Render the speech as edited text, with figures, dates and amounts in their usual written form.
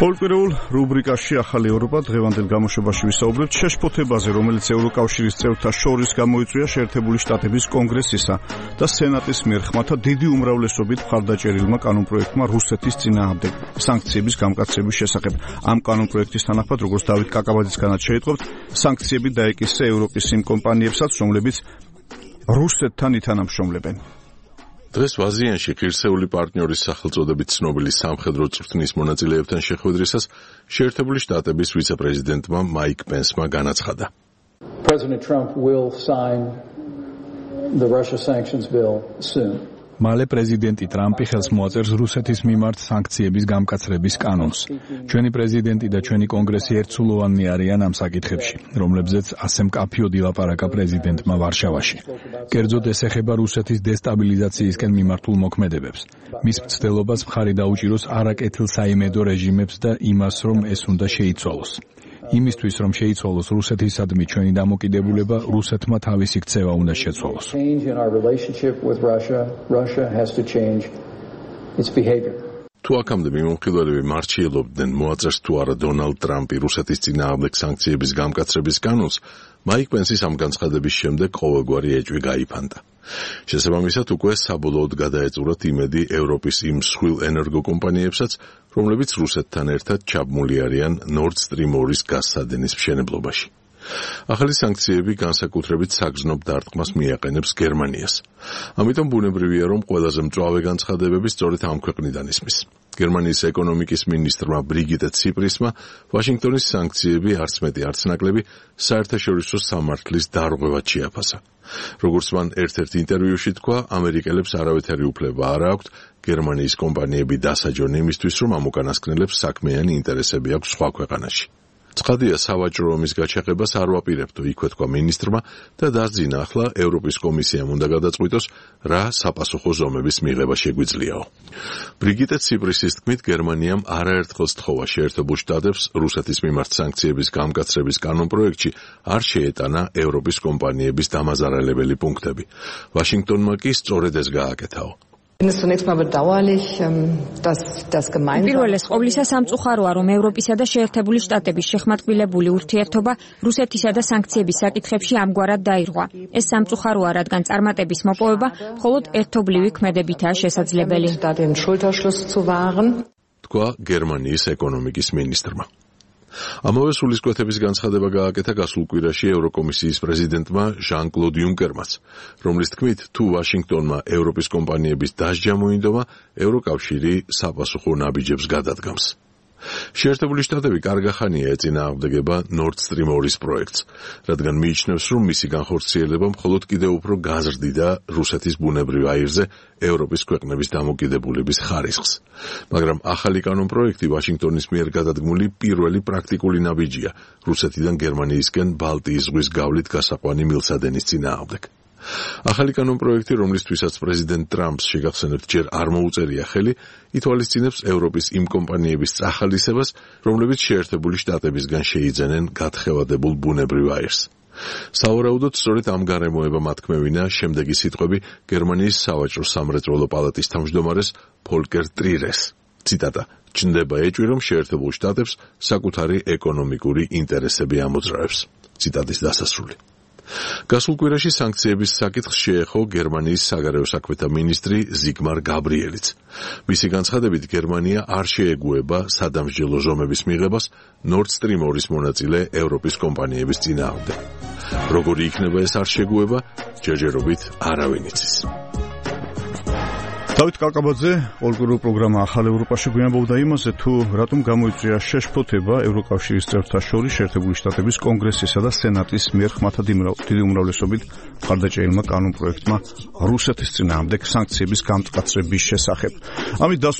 პოლიტიკურ რუბრიკაში ახალი ევროპა დღევანდელ გამოშვებაში ვისაუბრებთ შეშფოთებაზე, რომელიც ევროკავშირის წევრთა შორის გამოიწვია შეერთებული შტატების კონგრესისა და სენატის მიერ ხმათა დიდი უმრავლესობით მხარდაჭერილმა კანონპროექტმა რუსეთის წინააღმდეგ სანქციების გამკაცების შესახებ. ამ კანონპროექტის თანახმად, როგორც დავით კაკაბაძისგანაც შეიტყობთ, სანქციები დაეკისრა ევროპის იმ კომპანიებსაც, რომლებიც რუსეთთან ითანამშრომლებენ. დღეს ვაზიანში ღირსეული პარტნიორის სახელწოდებით ცნობილი სამხედრო წვრთნის მონაწილეებთან შეხვედრისას შეერთებული შტატების ვიცე-პრეზიდენტმა მაიკ პენსმა განაცხადა. President Trump will sign the Russia sanctions bill soon. მალე პრეზიდენტი ტრამპი ხელს მოაწერს რუსეთის მიმართ სანქციების გამკაცრების კანონს. ჩვენი პრეზიდენტი და ჩვენი კონგრესი ერთსულოვანი არიან ამ საკითხებში, რომლებზეც ასე მკაფიოდ ილაპარაკა პრეზიდენტმა ვარშავაში. კერძოდ ეს ეხება რუსეთის დესტაბილიზაციისკენ მიმართულ მოქმედებებს. მის მცდელობას მხარი დაუჭიროს არაკეთილსაიმედო რეჟიმებს და იმას, რომ ეს უნდა შეიცვალოს. იმისთვის, რომ შეიცვალოს რუსეთისადმი ჩვენი დამოკიდებულება, რუსეთმა თავისი ქცევა უნდა შეცვალოს. თუ აქამდე მიმოხილველები მარჩიელობდნენ მოაწერს თუ არა დონალდ ტრამპი რუსეთის წინააღმდეგ სანქციების გამკაცრების კანონს, მაიკ პენსის ამ განცხადების შემდეგ ყოველგვარი ეჭვი გაიფანტა. შესაბამისად, უკვე საბოლოოდ გადაეწურათ იმედი ევროპის იმ მსხვილ ენერგოკომპანიებსაც, რომლებიც რუსეთთან ერთად ჩაბმული არიან Nord Stream 2-ის გაზსადენის მშენებლობაში. ახალი სანქციები განსაკუთრებით საგრძნობ დარტყმას მიაყენებს გერმანიას. ამიტომ ბუნებრივია, რომ ყველაზე მწვავე განცხადებები სწორედ ამ ქვეყნიდან ისმის. გერმანიის ეკონომიკის მინისტრმა ბრიგიტე ციპრისმა ვაშინგტონის სანქციები არც მეტი არც ნაკლები საერთაშორისო სამართლის დარღვევად შეაფასა. როგორც მან ერთ-ერთ ინტერვიუში თქვა, ამერიკელებს არავითარი უფლება არ აქვთ გერმანიის კომპანიები დასაჯონ იმისთვის, რომ ამ უკანასკნელებს საქმიანი ინტერესები აქვს სხვა ქვეყანაში. ცხადია, სავაჭრო ომის გაჩაღებას არ ვაპირებდო, იქვე თქვა მინისტრმა და დასძინა, ახლა ევროპის კომისიამ უნდა გადაწყვიტოს, რა საპასუხო ზომების მიღება შეგვიძლიაო. ბრიგიტე ციპრისის თქმით, გერმანიამ არაერთხელ სთხოვა შეერთებულ შტატებს რუსეთის მიმართ სანქციების გამკაცრების კანონპროექტში არ შეეტანა ევროპის კომპანიების დამაზარალებელი პუნქტები. ვაშინგტონმა კი სწორედ ეს გააკეთაო. პირველეს ყოვლისა სამწუხაროა, რომ ევროპისა და შეერთებული შტატების შეხმატკბილებული ურთიერთობა რუსეთისა და სანქციების საკითხებში ამგვარად დაირღვა. ეს სამწუხაროა, რადგან წარმატების მოპოვება მხოლოდ ერთობლივი ქმედებითაა შესაძლებელი. თქვა გერმანიის ეკონომიკის მინისტრმა. ამავე სულისკვეთების განცხადება გააკეთა გასულ კვირაში ევროკომისიის პრეზიდენტმა ჟან-კლოდ იუნკერმაც, რომლის თქმით, თუ ვაშინგტონმა ევროპის კომპანიების დასჯა მოინდომა, ევროკავშირი საპასუხო ნაბიჯებს გადადგამს. შეერთებული შტატები კარგახანია ეწინააღმდეგება Nord Stream 2-ის პროექტს, რადგან მიიჩნევს, რომ მისი განხორციელება მხოლოდ კიდევ უფრო გაზრდიდა რუსეთის ბუნებრივ აირზე ევროპის ქვეყნების დამოკიდებულების ხარისხს. მაგრამ ახალი კანონპროექტი ვაშინგტონის მიერ გადადგმული პირველი პრაქტიკული ნაბიჯია რუსეთიდან გერმანიისკენ ბალტიის ზღვის გავლით გასაყვანი მილსადენის წინააღმდეგ. ახალი კანონპროექტი, რომლისთვისაც პრეზიდენტ ტრამპს შეგახსენებთ ჯერ არ მოუწერია ხელი, ითვალისწინებს ევროპის იმ კომპანიების წახალისებას, რომლებიც შეერთებული შტატებისგან შეიძენენ გათხევადებულ ბუნებრივ აირს. სავარაუდოდ სწორედ ამ გარემოებამ ათქმევინა შემდეგი სიტყვები გერმანიის სავაჭრო სამრეწველო პალატის თავმჯდომარეს ფოლკერ ტრირეს. ციტატა: "ჩნდება ეჭვი, რომ შეერთებულ შტატებს საკუთარი ეკონომიკური ინტერესები ამოძრავებს." ციტატის დასასრული. გასულ კვირაში სანქციების საკითხს შეეხო გერმანიის საგარეო საქმეთა მინისტრი ზიგმარ გაბრიელიც. მისი განცხადებით, გერმანია არ შეეგუება სადამსჯელო ზომების მიღებას Nord Stream 2-ის მონაწილე ევროპის კომპანიების წინააღმდეგ. როგორი იქნება ეს არ შეგუება, ჯერჯერობით არავინ იცის. დავით კაკაბაძე, პოლიტიკურ პროგრამა ახალ ევროპაში გვიამბობდა იმაზე, თუ რატომ გამოიწვია შეშფოთება ევროკავშირის წევრთა შორის შეერთებული შტატების კონგრესისა და სენატის მიერ ხმათა დიდი უმრავლესობით მხარდაჭერილმა კანონპროექტმა რუსეთის წინააღმდეგ სანქციების გამკაცრების შესახებ. ამით